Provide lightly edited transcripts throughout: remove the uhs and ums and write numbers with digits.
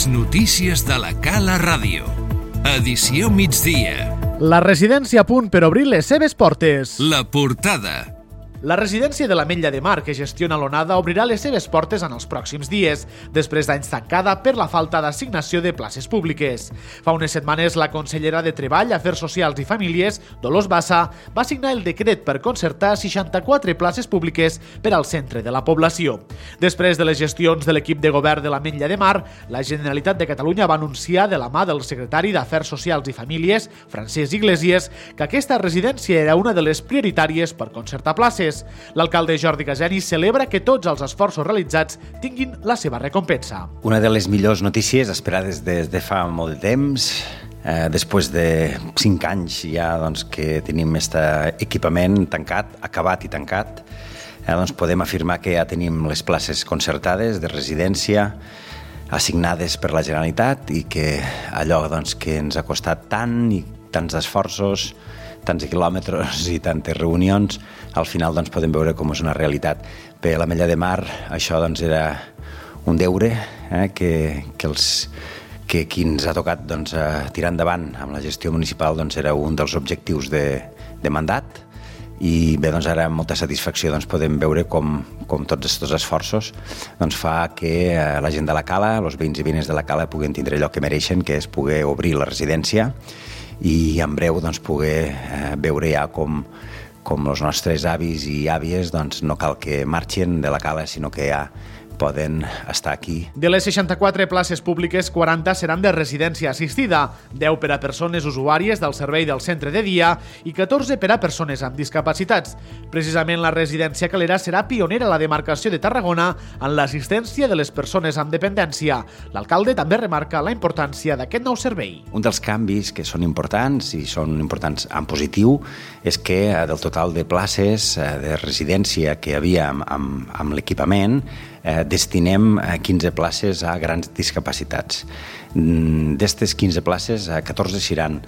Les notícies de la Cala Ràdio. Edició migdia. La residència a punt per obrir les seves portes. La portada. La residència de l'Ametlla de Mar, que gestiona l'Onada, obrirà les seves portes en els pròxims dies, després d'anys tancada per la falta d'assignació de places públiques. Fa unes setmanes, la consellera de Treball, Afers Socials i Famílies, Dolors Bassa, va signar el decret per concertar 64 places públiques per al centre de la població. Després de les gestions de l'equip de govern de l'Ametlla de Mar, la Generalitat de Catalunya va anunciar de la mà del secretari d'Afers Socials i Famílies, Francesc Iglesias, que aquesta residència era una de les prioritàries per concertar places. L'alcalde Jordi Caseni celebra que tots els esforços realitzats tinguin la seva recompensa. Una de les millors notícies esperades des de fa molt de temps, després de 5 anys ja que tenim aquest equipament tancat, acabat i tancat, podem afirmar que ja tenim les places concertades de residència assignades per la Generalitat i que allò que ens ha costat tant i tants esforços, tants quilòmetres i tantes reunions, al final podem veure com és una realitat. Per l'Ametlla de Mar això era un deure que qui ens ha tocat tirar endavant amb la gestió municipal era un dels objectius de mandat i bé, ara amb molta satisfacció podem veure com tots aquests esforços fa que la gent de la Cala, els veïns i veïnes de la Cala puguen tindre allò que mereixen, que és poder obrir la residència i en breu poder veure ja com els nostres avis i àvies no cal que marxin de la Cala, sinó que ja poden estar aquí. De les 64 places públiques, 40 seran de residència assistida, 10 per a persones usuàries del servei del centre de dia i 14 per a persones amb discapacitats. Precisament la residència Calera serà pionera a la demarcació de Tarragona en l'assistència de les persones amb dependència. L'alcalde també remarca la importància d'aquest nou servei. Un dels canvis que són importants i són importants en positiu és que del total de places de residència que hi havia amb l'equipament destinem 15 places a grans discapacitats. D'estes 15 places, 14 seran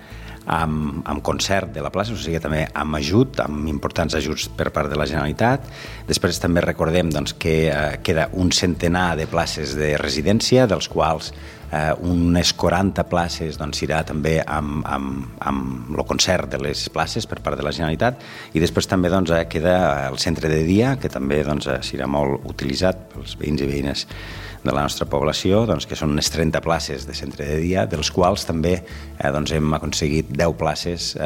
amb concert de la plaça, o sigui també amb ajut, amb importants ajuts per part de la Generalitat. Després també recordem que queda un centenar de places de residència, dels quals unes 40 places serà també amb el concert de les places per part de la Generalitat, i després també queda el centre de dia, que també serà molt utilitzat pels veïns i veïnes de la nostra població, que són unes 30 places de centre de dia, dels quals també hem aconseguit 10 places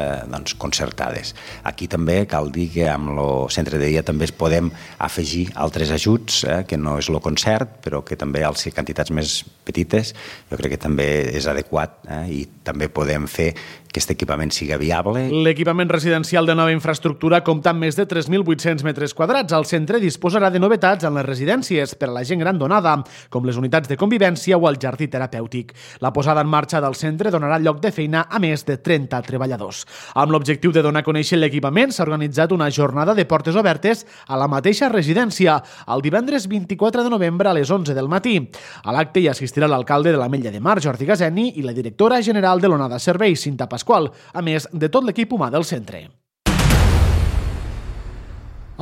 concertades. Aquí també cal dir que amb el centre de dia també es podem afegir altres ajuts, que no és el concert, però que també als quantitats més petites jo crec que també és adequat i també podem fer que aquest equipament siga viable. L'equipament residencial de nova infraestructura compta amb més de 3.800 metres quadrats. El centre disposarà de novetats en les residències per a la gent gran donada, com les unitats de convivència o el jardí terapèutic. La posada en marxa del centre donarà lloc de feina a més de 30 treballadors. Amb l'objectiu de donar a conèixer l'equipament, s'ha organitzat una jornada de portes obertes a la mateixa residència, el divendres 24 de novembre a les 11 del matí. A l'acte hi assistirà l'alcalde de l'Ametlla de Mar, Jordi Caseni, i la directora general de l'Onada Serveis, Cinta Pasqual, a més de tot l'equip humà del centre.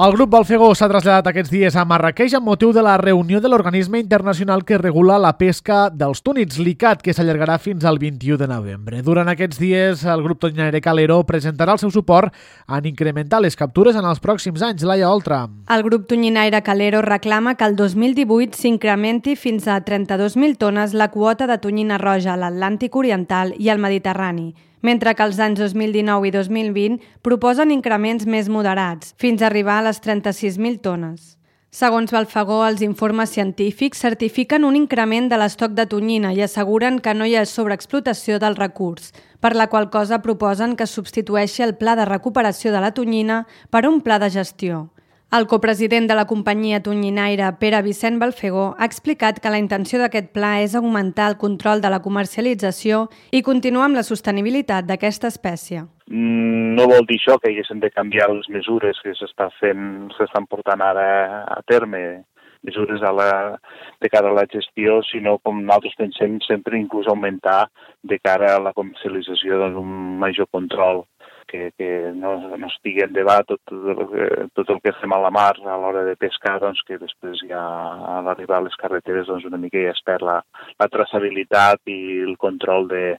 El grup Balfegó s'ha traslladat aquests dies a Marràqueix amb motiu de la reunió de l'organisme internacional que regula la pesca dels túnids, l'ICCAT, que s'allargarà fins al 21 de novembre. Durant aquests dies, el grup tonyinaire Calero presentarà el seu suport en incrementar les captures en els pròxims anys. Laia Oltra. El grup tonyinaire Calero reclama que el 2018 s'incrementi fins a 32.000 tones la quota de tonyina roja a l'Atlàntic Oriental i al Mediterrani, mentre que els anys 2019 i 2020 proposen increments més moderats, fins a arribar a les 36.000 tones. Segons Balfegó, els informes científics certifiquen un increment de l'estoc de tonyina i asseguren que no hi ha sobreexplotació del recurs, per la qual cosa proposen que substitueixi el pla de recuperació de la tonyina per un pla de gestió. El copresident de la companyia tonyinaire, Pere Vicent Balfegó, ha explicat que la intenció d'aquest pla és augmentar el control de la comercialització i continuar amb la sostenibilitat d'aquesta espècie. No vol dir això que haguessin de canviar les mesures que s'estan portant ara a terme, mesures de cara a la gestió, sinó, com nosaltres pensem, sempre inclús augmentar de cara a la comercialització d'un major control que no estigui en debat tot el que fem a la mar a l'hora de pescar, doncs que després ja a l'arribar a les carreteres doncs una mica ja es perd la traçabilitat i el control de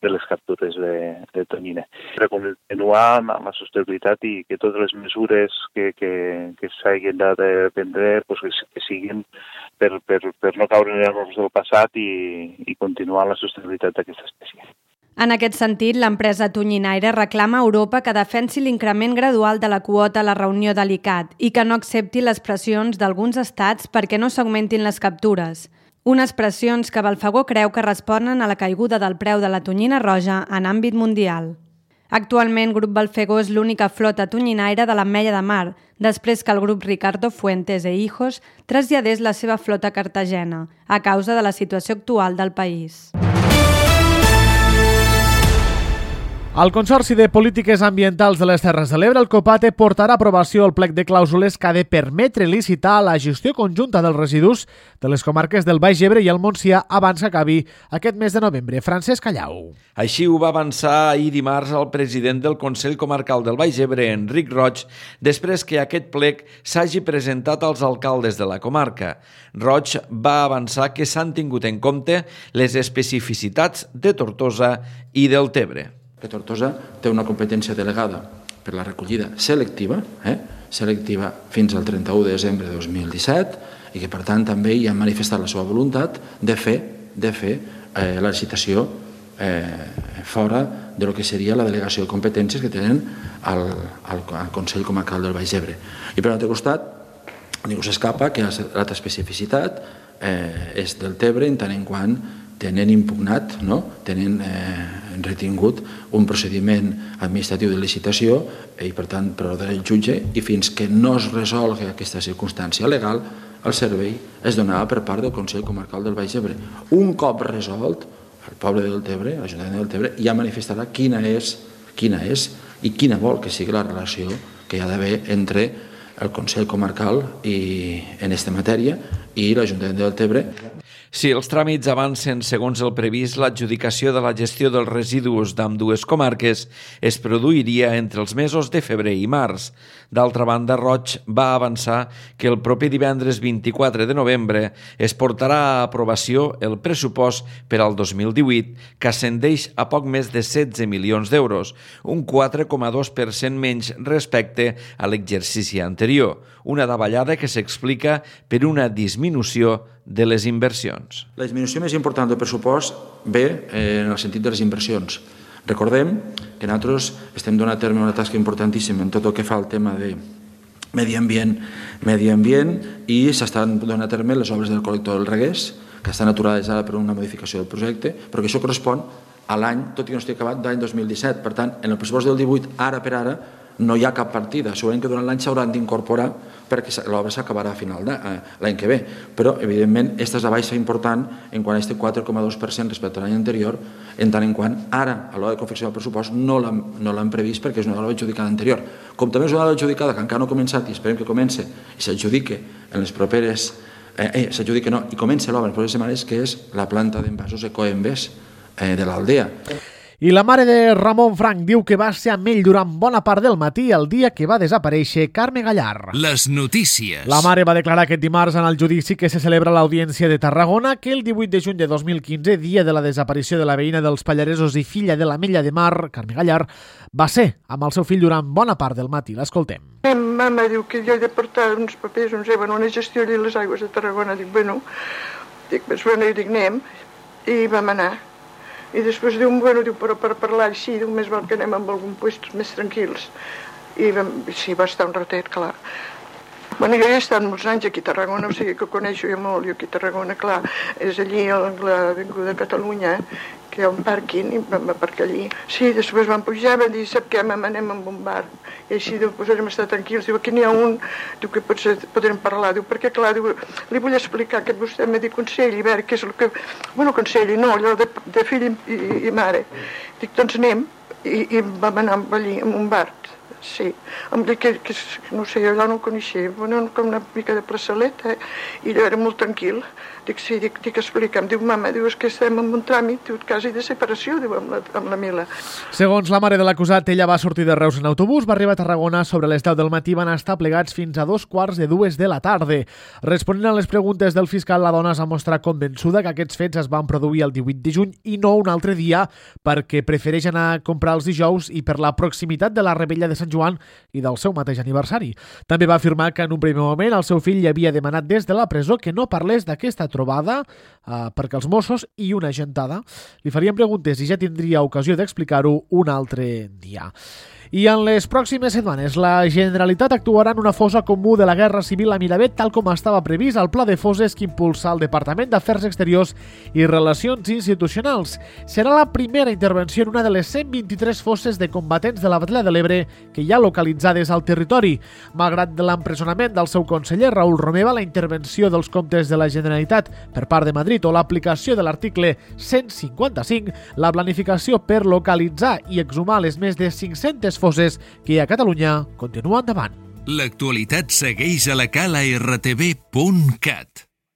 les captures de tonyina. Per continuar amb la sostenibilitat i que totes les mesures que s'hagin de prendre que siguin per no caure en errors del passat i continuar la sostenibilitat d'aquesta espècie. En aquest sentit, l'empresa tonyinaire reclama a Europa que defensi l'increment gradual de la quota a la reunió de l'ICCAT i que no accepti les pressions d'alguns estats perquè no s'augmentin les captures. Unes pressions que Balfagó creu que responen a la caiguda del preu de la tonyina roja en àmbit mundial. Actualment, Grup Balfagó és l'única flota tonyinaire de l'Ametlla de Mar, després que el grup Ricardo Fuentes e Hijos traslladés la seva flota a Cartagena, a causa de la situació actual del país. El Consorci de Polítiques Ambientals de les Terres de l'Ebre, el COPATE, portarà a aprovació el plec de clàusules que ha de permetre licitar la gestió conjunta dels residus de les comarques del Baix Ebre i el Montsià abans que acabi aquest mes de novembre. Francesc Callau. Així ho va avançar ahir dimarts el president del Consell Comarcal del Baix Ebre, Enric Roig, després que aquest plec s'hagi presentat als alcaldes de la comarca. Roig va avançar que s'han tingut en compte les especificitats de Tortosa i del Tebre. Que Tortosa té una competència delegada per la recollida selectiva fins al 31 de desembre de 2017 i que, per tant, també hi ha manifestat la seva voluntat de fer la licitació fora de lo que seria la delegació de competències que tenen al Consell Comarcal del Baix Ebre. I per l'altre costat, ningú s'escapa que l'altra especificitat és del Tebre en tant en quant tenen impugnat, tenen retingut un procediment administratiu de licitació i, per tant, per ordre del jutge, i fins que no es resolgui aquesta circumstància legal, el servei es donava per part del Consell Comarcal del Baix Ebre. Un cop resolt, el poble del Tebre, l'Ajuntament del Tebre, ja manifestarà quina és i quina vol que sigui la relació que hi ha d'haver entre el Consell Comarcal en aquesta matèria i l'Ajuntament del Tebre. Si els tràmits avancen segons el previst, l'adjudicació de la gestió dels residus d'ambdues comarques es produiria entre els mesos de febrer i març. D'altra banda, Roig va avançar que el proper divendres 24 de novembre es portarà a aprovació el pressupost per al 2018, que ascendeix a poc més de 16 milions d'euros, un 4,2% menys respecte a l'exercici anterior, una davallada que s'explica per una disminució de les inversions. La disminució més important del pressupost ve en el sentit de les inversions. Recordem que nosaltres estem donant a terme una tasca importantíssima en tot el que fa al tema de medi ambient i s'estan donant a terme les obres del col·lector del Reguers, que estan aturades ara per una modificació del projecte, però que això correspon a l'any, tot i que no estigui acabat, de l'any 2017. Per tant, en el pressupost del 18, ara per ara, no hi ha cap partida. Segurament que durant l'any s'hauran d'incorporar perquè l'obra s'acabarà a final l'any que ve. Però, evidentment, aquesta és la baixa important en quant a aquest 4,2% respecte a l'any anterior, en tant en quant ara, a l'hora de confeccionar el pressupost, no l'han previst perquè és una obra adjudicada anterior. Com també és una obra adjudicada que encara no ha començat i esperem que comence i s'adjudique en les properes... i comença l'obra en les properes setmanes, que és la planta d'envasos Ecoembes de l'Aldea. I la mare de Ramon Frank diu que va ser amb ell durant bona part del matí el dia que va desaparèixer Carme Gallar. Les notícies. La mare va declarar aquest dimarts en el judici que se celebra a l'Audiència de Tarragona que el 18 de juny de 2015, dia de la desaparició de la veïna dels Pallaresos i filla de l'Ametlla de Mar, Carme Gallar, va ser amb el seu fill durant bona part del matí. L'escoltem. Mama diu que jo he de portar uns papers, una gestió a les aigües de Tarragona. Dic, anem, i vam anar. I després diu, però per parlar així, més val que anem amb algun lloc més tranquils. I sí, va estar un ratet, clar. Jo he estat molts anys aquí a Tarragona, o sigui que coneixo jo molt, jo aquí a Tarragona, clar, és allí a l'Avinguda de Catalunya, que hi ha un pàrquing, i vam aparcar allí. Sí, després vam pujar, vam dir, sap què, anem amb un bar. I així, podrem estar tranquils. Diu, aquí n'hi ha un, diu que potser podrem parlar. Diu, perquè clar, diu, li vull explicar que vostè m'ha dit consell, i veure què és el que... consell, no, allò de fill i mare. Dic, doncs anem, i vam anar allí, en un bar. Sí, em dic que no sé, allò no ho coneixia, bueno, com una mica de plaçaleta, i allò era molt tranquil. Dic, sí, dic, explica'm. Diu, mama, diu, és que estem en un tràmit, diu, quasi de separació, diu, amb la Mila. Segons la mare de l'acusat, ella va sortir de Reus en autobús, va arribar a Tarragona sobre les 10 del matí i van estar plegats fins a 2:45 de la tarda. Responent a les preguntes del fiscal, la dona es va mostrar convençuda que aquests fets es van produir el 18 de juny i no un altre dia, perquè prefereix anar a comprar els dijous i per la proximitat de la Rebella de Sant Joan i del seu mateix aniversari. També va afirmar que en un primer moment el seu fill li havia demanat des de la presó que no parlés d'aquesta trobada perquè els Mossos i una agentada li farien preguntes i ja tindria ocasió d'explicar-ho un altre dia. I en les pròximes setmanes la Generalitat actuarà en una fossa comú de la Guerra Civil a Miravet, tal com estava previst al Pla de Fosses que impulsa el Departament d'Afers Exteriors i Relacions Institucionals. Serà la primera intervenció en una de les 123 fosses de combatents de la Batalla de l'Ebre que hi ha localitzades al territori. Malgrat l'empresonament del seu conseller Raül Romeva, la intervenció dels comptes de la Generalitat per part de Madrid o l'aplicació de l'article 155, la planificació per localitzar i exhumar les més de 500 fosses que hi ha a Catalunya continua endavant. L'actualitat segueix a la cala rtv.cat.